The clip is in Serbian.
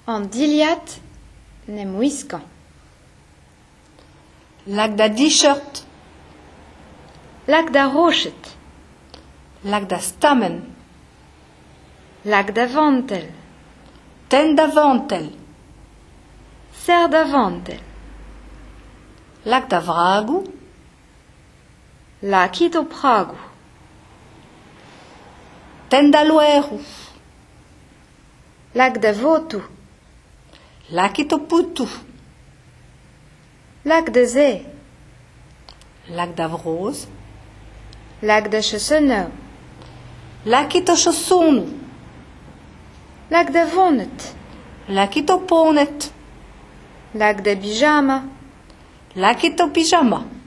An diliat ne mouiskan. Lak da t-shirt. Lak da rochet. Lak da stamen. Lak da vantel. Ten da vantel. Ser da vantel. Lak da vragou. Lakit o pragou. Ten da loerou. Lak da votou. Lakit o poutou. Lak da ze. Lak da vroz. Lak da chassenou. Lakit o chaussonou. Lak da vonet. Lakit o ponet. Lak da pyjama. Lakit o pyjama.